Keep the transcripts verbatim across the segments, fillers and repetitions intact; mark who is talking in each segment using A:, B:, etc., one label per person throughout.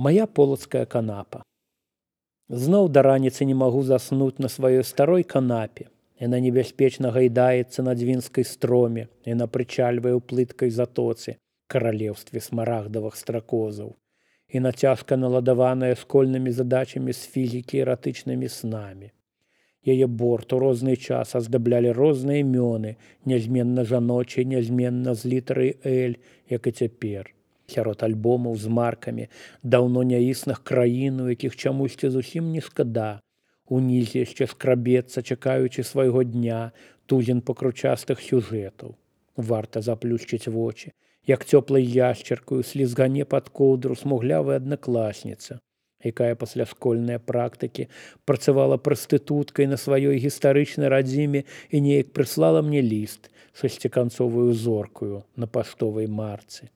A: Мая полацкая канапа. Зноў да раніцы не магу заснуць на сваёй старой канапе. Яна небяспечна гайдаецца на дзвінскай строме, яна прычальвае ў плыткай затоцы, каралеўстве смарагдавых стракозаў. І нацяжка наладаваная школьнымі задачамі з фізікі і эратычнымі снамі. Яе борт у розны час аздаблялі розныя імёны, нязменна жаночыя, нязменна з літарай «Л», як і цяпер. Сярод альбомаў з маркамі даўно няісных краін, у якіх чамусьці зусім не шкада. Унізе яшчэ скрабецца, чакаючы свайго дня, тузін пакручастых сюжэтаў. Варта заплюшчыць вочы, як цёплай яшчаркаю слізгане пад коўдру смуглявая аднакласніца, якая пасля школьнай практыкі працавала прастытуткай на сваёй гістарычнай радзіме і неяк прыслала мне ліст шасціканцовую зоркаю на паштовай марцы.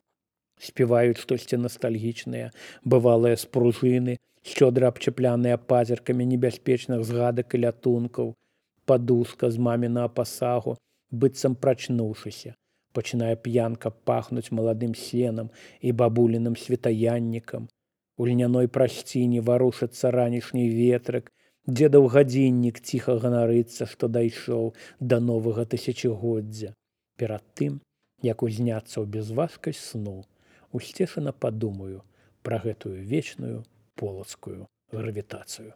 A: Спяваюць штосьці настальгічныя, бывалыя спружыны, шчодра абчапляныя пазіркамі небяспечных згадак і лятункаў. Падушка з мамінага пасагу, быццам прачнуўшыся, пачынае п'янка пахнуць маладым сенам і бабуліным світаяннікам. У льняной прасціне варушыцца ранішні ветрык, дзедаў гадзіннік ціха ганарыцца, што дайшоў да новага тысячагоддзя. Перад тым, як узняцца ў бязважкасць сну, усцешана падумаю пра гэтую вечную полацкую гравітацыю.